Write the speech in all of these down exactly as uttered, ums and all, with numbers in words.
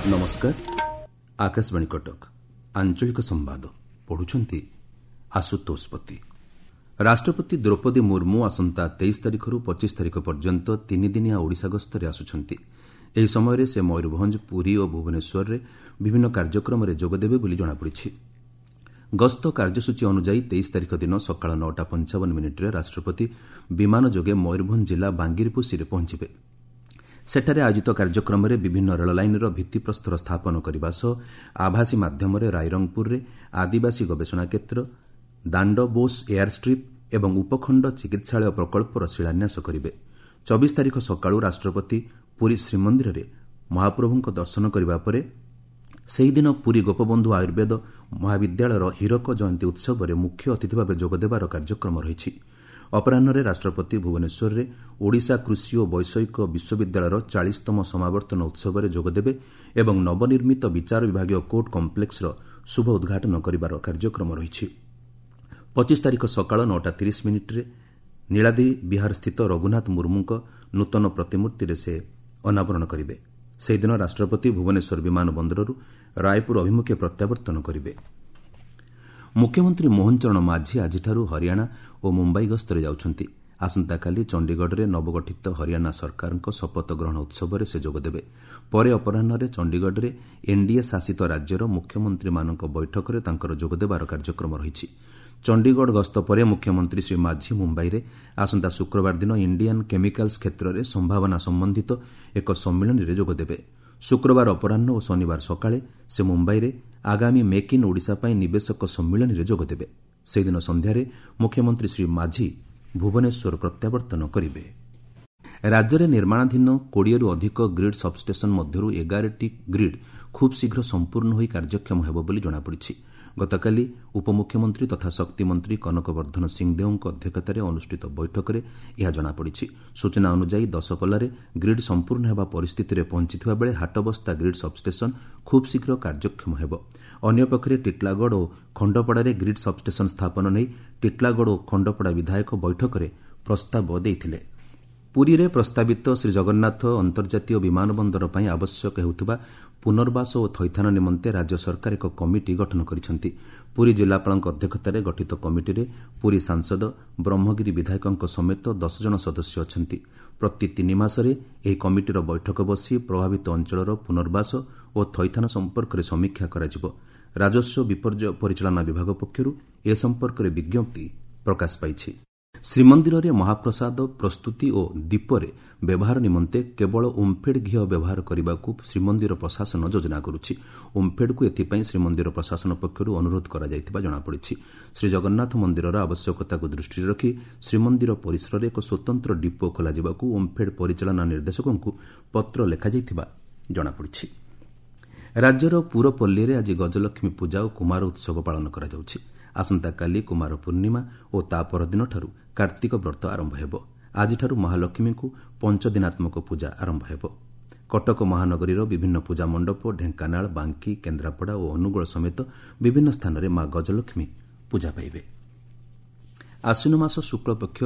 ନମସ୍କାର, ଆକାଶବାଣୀ କଟକ, ଆଞ୍ଚଳିକ ସମ୍ବାଦ ପଢୁଛନ୍ତି ଆଶୁତୋଷ ପତି। ରାଷ୍ଟ୍ରପତି ଦ୍ରୌପଦୀ ମୁର୍ମୁ ଆସନ୍ତା ତେଇଶ ତାରିଖରୁ ପଚିଶ ତାରିଖ ପର୍ଯ୍ୟନ୍ତ ତିନିଦିନିଆ ଓଡ଼ିଶା ଗସ୍ତରେ ଆସୁଛନ୍ତି। ଏହି ସମୟରେ ସେ ମୟୂରଭଞ୍ଜ, ପୁରୀ ଓ ଭୁବନେଶ୍ୱରରେ ବିଭିନ୍ନ କାର୍ଯ୍ୟକ୍ରମରେ ଯୋଗଦେବେ ବୋଲି ଜଣାପଡ଼ିଛି। ଗସ୍ତ କାର୍ଯ୍ୟସୂଚୀ ଅନୁଯାୟୀ ତେଇଶ ତାରିଖ ଦିନ ସକାଳ ନଅଟା ପଞ୍ଚାବନ ମିନିଟ୍ରେ ରାଷ୍ଟ୍ରପତି ବିମାନ ଯୋଗେ ମୟୂରଭଞ୍ଜ ଜିଲ୍ଲା ବାଙ୍ଗିରିପୋଷିରେ ପହଞ୍ଚିବେ। ସେଠାରେ ଆୟୋଜିତ କାର୍ଯ୍ୟକ୍ରମରେ ବିଭିନ୍ନ ରେଳଲାଇନ୍ର ଭିତ୍ତିପ୍ରସ୍ତର ସ୍ଥାପନ କରିବା ସହ ଆଭାସୀ ମାଧ୍ୟମରେ ରାଇରଙ୍ଗପୁରରେ ଆଦିବାସୀ ଗବେଷଣା କ୍ଷେତ୍ର, ଦାଣ୍ଡବୋଷ ଏୟାର ଷ୍ଟ୍ରିପ୍ ଏବଂ ଉପଖଣ୍ଡ ଚିକିତ୍ସାଳୟ ପ୍ରକଳ୍ପର ଶିଳାନ୍ୟାସ କରିବେ। ଚବିଶ ତାରିଖ ସକାଳୁ ରାଷ୍ଟ୍ରପତି ପୁରୀ ଶ୍ରୀମନ୍ଦିରରେ ମହାପ୍ରଭୁଙ୍କ ଦର୍ଶନ କରିବା ପରେ ସେହିଦିନ ପୁରୀ ଗୋପବନ୍ଧୁ ଆୟୁର୍ବେଦ ମହାବିଦ୍ୟାଳୟର ହୀରକ ଜୟନ୍ତୀ ଉତ୍ସବରେ ମୁଖ୍ୟ ଅତିଥି ଭାବେ ଯୋଗଦେବାର କାର୍ଯ୍ୟକ୍ରମ ରହିଛି। ଅପରାହ୍ନରେ ରାଷ୍ଟ୍ରପତି ଭୁବନେଶ୍ୱରରେ ଓଡ଼ିଶା କୃଷି ଓ ବୈଷୟିକ ବିଶ୍ୱବିଦ୍ୟାଳୟର ଚାଳିଶତମ ସମାବର୍ତ୍ତନ ଉତ୍ସବରେ ଯୋଗଦେବେ ଏବଂ ନବନିର୍ମିତ ବିଚାର ବିଭାଗୀୟ କୋର୍ଟ କମ୍ପ୍ଲେକ୍ସର ଶୁଭ ଉଦ୍ଘାଟନ କରିବାର କାର୍ଯ୍ୟକ୍ରମ ରହିଛି। ପଚିଶ ତାରିଖ ସକାଳ ନଅଟା ତିରିଶ ମିନିଟ୍ରେ ନୀଳାଦ୍ରି ବିହାରସ୍ଥିତ ରଘୁନାଥ ମୁର୍ମୁଙ୍କ ନୂତନ ପ୍ରତିମୂର୍ତ୍ତିରେ ସେ ଅନାବରଣ କରିବେ। ସେହିଦିନ ରାଷ୍ଟ୍ରପତି ଭୁବନେଶ୍ୱର ବିମାନ ବନ୍ଦରରୁ ରାୟପୁର ଅଭିମୁଖେ ପ୍ରତ୍ୟାବର୍ତ୍ତନ କରିବେ। ମୁଖ୍ୟମନ୍ତ୍ରୀ ମୋହନ ଚରଣ ମାଝୀ ଆଜିଠାରୁ ହରିୟାଣା ଓ ମୁମ୍ବାଇ ଗସ୍ତରେ ଯାଉଛନ୍ତି। ଆସନ୍ତାକାଲି ଚଣ୍ଡିଗଡ଼ରେ ନବଗଠିତ ହରିୟାଣା ସରକାରଙ୍କ ଶପଥ ଗ୍ରହଣ ଉତ୍ସବରେ ସେ ଯୋଗଦେବେ। ପରେ ଅପରାହ୍ନରେ ଚଣ୍ଡିଗଡ଼ରେ ଏନ୍ଡିଏ ଶାସିତ ରାଜ୍ୟର ମୁଖ୍ୟମନ୍ତ୍ରୀମାନଙ୍କ ବୈଠକରେ ତାଙ୍କର ଯୋଗଦେବାର କାର୍ଯ୍ୟକ୍ରମ ରହିଛି। ଚଣ୍ଡିଗଡ଼ ଗସ୍ତ ପରେ ମୁଖ୍ୟମନ୍ତ୍ରୀ ଶ୍ରୀ ମାଝୀ ମୁମ୍ବାଇରେ ଆସନ୍ତା ଶୁକ୍ରବାର ଦିନ ଇଣ୍ଡିଆନ୍ କେମିକାଲ୍ସ କ୍ଷେତ୍ରରେ ସମ୍ଭାବନା ସମ୍ବନ୍ଧିତ ଏକ ସମ୍ମିଳନୀରେ ଯୋଗଦେବେ। ଶୁକ୍ରବାର ଅପରାହ୍ନ ଓ ଶନିବାର ସକାଳେ ସେ ମୁମ୍ବାଇରେ ଆଗାମୀ ମେକ୍ ଇନ୍ ଓଡ଼ିଶା ପାଇଁ ନିବେଶକ ସମ୍ମିଳନୀରେ ଯୋଗଦେବେ। ସେହିଦିନ ସନ୍ଧ୍ୟାରେ ମୁଖ୍ୟମନ୍ତ୍ରୀ ଶ୍ରୀ ମାଝୀ ଭୁବନେଶ୍ୱର ପ୍ରତ୍ୟାବର୍ତ୍ତନ କରିବେ। ରାଜ୍ୟରେ ନିର୍ମାଣାଧୀନ କୋଡ଼ିଏରୁ ଅଧିକ ଗ୍ରିଡ୍ ସବ୍ଷ୍ଟେସନ୍ ମଧ୍ୟରୁ ଏଗାରଟି ଗ୍ରିଡ୍ ଖୁବ୍ ଶୀଘ୍ର ସମ୍ପୂର୍ଣ୍ଣ ହୋଇ କାର୍ଯ୍ୟକ୍ଷମ ହେବ ବୋଲି ଜଣାପଡ଼ିଛି। ଗତକାଲି ଉପମୁଖ୍ୟମନ୍ତ୍ରୀ ତଥା ଶକ୍ତିମନ୍ତ୍ରୀ କନକ ବର୍ଦ୍ଧନ ସିଂଦେଓଙ୍କ ଅଧ୍ୟକ୍ଷତାରେ ଅନୁଷ୍ଠିତ ବୈଠକରେ ଏହା ଜଣାପଡ଼ିଛି। ସୂଚନା ଅନୁଯାୟୀ ଦଶପଲ୍ଲାରେ ଗ୍ରିଡ୍ ସମ୍ପୂର୍ଣ୍ଣ ହେବା ପରିସ୍ଥିତିରେ ପହଞ୍ଚିଥିବା ବେଳେ ହାଟବସ୍ତା ଗ୍ରିଡ୍ ସବ୍ଷ୍ଟେସନ୍ ଖୁବ୍ ଶୀଘ୍ର କାର୍ଯ୍ୟକ୍ଷମ ହେବ। ଅନ୍ୟପକ୍ଷରେ ଟିଟିଲାଗଡ଼ ଓ ଖଣ୍ଡପଡ଼ାରେ ଗ୍ରିଡ୍ ସବ୍ଷ୍ଟେସନ୍ ସ୍ଥାପନ ନେଇ ଟିଟିଲାଗଡ଼ ଓ ଖଣ୍ଡପଡ଼ା ବିଧାୟକ ବୈଠକରେ ପ୍ରସ୍ତାବ ଦେଇଥିଲେ। ପୁରୀରେ ପ୍ରସ୍ତାବିତ ଶ୍ରୀଜଗନ୍ନାଥ ଅନ୍ତର୍ଜାତୀୟ ବିମାନ ବନ୍ଦର ପାଇଁ ଆବଶ୍ୟକ ହେଉଥିବା ପୁନର୍ବାସ ଓ ଥଇଥାନ ନିମନ୍ତେ ରାଜ୍ୟ ସରକାର ଏକ କମିଟି ଗଠନ କରିଛନ୍ତି। ପୁରୀ ଜିଲ୍ଲାପାଳଙ୍କ ଅଧ୍ୟକ୍ଷତାରେ ଗଠିତ କମିଟିରେ ପୁରୀ ସାଂସଦ, ବ୍ରହ୍ମଗିରି ବିଧାୟକଙ୍କ ସମେତ ଦଶ ଜଣ ସଦସ୍ୟ ଅଛନ୍ତି। ପ୍ରତି ତିନି ମାସରେ ଏହି କମିଟିର ବୈଠକ ବସି ପ୍ରଭାବିତ ଅଞ୍ଚଳର ପୁନର୍ବାସ ଓ ଥଇଥାନ ସମ୍ପର୍କରେ ସମୀକ୍ଷା କରାଯିବ। ରାଜସ୍ୱ ବିପର୍ଯ୍ୟୟ ପରିଚାଳନା ବିଭାଗ ପକ୍ଷରୁ ଏ ସମ୍ପର୍କରେ ବିଜ୍ଞପ୍ତି ପ୍ରକାଶ ପାଇଛି। ଶ୍ରୀମନ୍ଦିରରେ ମହାପ୍ରସାଦ ପ୍ରସ୍ତୁତି ଓ ଦୀପରେ ବ୍ୟବହାର ନିମନ୍ତେ କେବଳ ଓମ୍ଫେଡ୍ ଘିଅ ବ୍ୟବହାର କରିବାକୁ ଶ୍ରୀମନ୍ଦିର ପ୍ରଶାସନ ଯୋଜନା କରୁଛି। ଓମ୍ଫେଡ୍କୁ ଏଥିପାଇଁ ଶ୍ରୀମନ୍ଦିର ପ୍ରଶାସନ ପକ୍ଷରୁ ଅନୁରୋଧ କରାଯାଇଥିବା ଜଣାପଡ଼ିଛି। ଶ୍ରୀଜଗନ୍ନାଥ ମନ୍ଦିରର ଆବଶ୍ୟକତାକୁ ଦୃଷ୍ଟିରେ ରଖି ଶ୍ରୀମନ୍ଦିର ପରିସରରେ ଏକ ସ୍ୱତନ୍ତ୍ର ଡିପୋ ଖୋଲାଯିବାକୁ ଓମ୍ଫେଡ୍ ପରିଚାଳନା ନିର୍ଦ୍ଦେଶକଙ୍କୁ ପତ୍ର ଲେଖାଯାଇଥିବା ଜଣାପଡ଼ିଛି। ରାଜ୍ୟର ପୁରପଲ୍ଲୀରେ ଆଜି ଗଜଲକ୍ଷ୍ମୀ ପୂଜା ଓ କୁମାର ଉତ୍ସବ ପାଳନ କରାଯାଉଛି। ଆସନ୍ତାକାଲି କୁମାର ପୂର୍ଣ୍ଣିମା ଓ ତା ପରଦିନଠାରୁ କାର୍ତ୍ତିକ ବ୍ରତ ଆରମ୍ଭ ହେବ। ଆଜିଠାରୁ ମହାଲକ୍ଷ୍ମୀଙ୍କୁ ପଞ୍ଚଦିନାତ୍ମକ ପୂଜା ଆରମ୍ଭ ହେବ। କଟକ ମହାନଗରୀର ବିଭିନ୍ନ ପୂଜା ମଣ୍ଡପ, ଢେଙ୍କାନାଳ, ବାଙ୍କି, କେନ୍ଦ୍ରାପଡ଼ା ଓ ଅନୁଗୋଳ ସମେତ ବିଭିନ୍ନ ସ୍ଥାନରେ ମା ଗଜଲକ୍ଷ୍ମୀ ପୂଜା ପାଇବେ। ଆଶ୍ୱିନ ମାସ ଶୁକ୍ଳପକ୍ଷ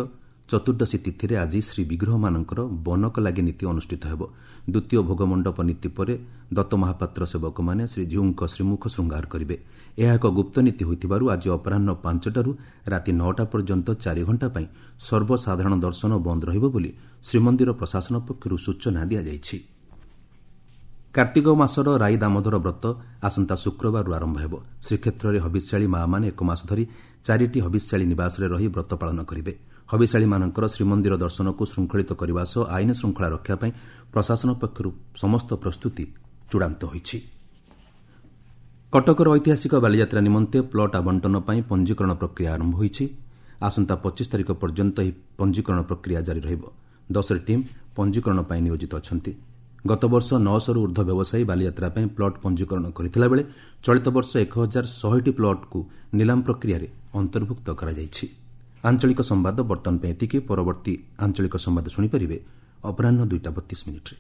ଚତୁର୍ଦ୍ଦଶୀ ତିଥିରେ ଆଜି ଶ୍ରୀବିଗ୍ରହମାନଙ୍କର ବନକ ଲାଗି ନୀତି ଅନୁଷ୍ଠିତ ହେବ। ଦ୍ୱିତୀୟ ଭୋଗମଣ୍ଡପ ନୀତି ପରେ ଦତ୍ତ ମହାପାତ୍ର ସେବକମାନେ ଶ୍ରୀଜୀଉଙ୍କ ଶ୍ରୀମୁଖ ଶୃଙ୍ଗାର କରିବେ। ଏହା ଏକ ଗୁପ୍ତ ନୀତି ହୋଇଥିବାରୁ ଆଜି ଅପରାହ୍ନ ପାଞ୍ଚଟାରୁ ରାତି ନଅଟା ପର୍ଯ୍ୟନ୍ତ ଚାରି ଘଣ୍ଟା ପାଇଁ ସର୍ବସାଧାରଣ ଦର୍ଶନ ବନ୍ଦ ରହିବ ବୋଲି ଶ୍ରୀମନ୍ଦିର ପ୍ରଶାସନ ପକ୍ଷରୁ ସୂଚନା ଦିଆଯାଇଛି। କାର୍ତ୍ତିକ ମାସର ରାଇ ଦାମୋଦର ବ୍ରତ ଆସନ୍ତା ଶୁକ୍ରବାରରୁ ଆରମ୍ଭ ହେବ। ଶ୍ରୀକ୍ଷେତ୍ରରେ ହବିଷ୍ୟାଳୀ ମାଆମାନେ ଏକ ମାସ ଧରି ଚାରିଟି ହବିଷ୍ୟାଳୀ ନିବାସରେ ରହି ବ୍ରତ ପାଳନ କରିବେ। ହବିଷ୍ୟାଳୀମାନଙ୍କର ଶ୍ରୀମନ୍ଦିର ଦର୍ଶନକୁ ଶୃଙ୍ଖଳିତ କରିବା ସହ ଆଇନ ଶୃଙ୍ଖଳା ରକ୍ଷା ପାଇଁ ପ୍ରଶାସନ ପକ୍ଷରୁ ସମସ୍ତ ପ୍ରସ୍ତୁତି ଚୂଡ଼ାନ୍ତ ହୋଇଛି। କଟକର ଐତିହାସିକ ବାଲିଯାତ୍ରା ନିମନ୍ତେ ପ୍ଲଟ୍ ଆବଣ୍ଟନ ପାଇଁ ପଞ୍ଜୀକରଣ ପ୍ରକ୍ରିୟା ଆରମ୍ଭ ହୋଇଛି। ଆସନ୍ତା ପଚିଶ ତାରିଖ ପର୍ଯ୍ୟନ୍ତ ଏହି ପଞ୍ଜୀକରଣ ପ୍ରକ୍ରିୟା ଜାରି ରହିବ। ଦଶଟି ଟିମ୍ ପଞ୍ଜୀକରଣ ପାଇଁ ନିୟୋଜିତ ଅଛନ୍ତି। ଗତବର୍ଷ ନଅଶହରୁ ଉର୍ଦ୍ଧ୍ୱ ବ୍ୟବସାୟୀ ବାଲିଯାତ୍ରା ପାଇଁ ପ୍ଲଟ୍ ପଞ୍ଜୀକରଣ କରିଥିଲା ବେଳେ ଚଳିତ ବର୍ଷ ଏକ ହଜାର ଶହେଟି ପ୍ଲଟ୍କୁ ନିଲାମ ପ୍ରକ୍ରିୟାରେ ଅନ୍ତର୍ଭୁକ୍ତ କରାଯାଇଛି। ଆଞ୍ଚଳିକ ସମ୍ବାଦ ବର୍ତ୍ତମାନ ପାଇଁ ଏତିକି। ପରବର୍ତ୍ତୀ ଆଞ୍ଚଳିକ ସମ୍ବାଦ ଶୁଣିପାରିବେ ଅପରାହ୍ନ ଦୁଇଟା ବତିଶ ମିନିଟ୍ରେ।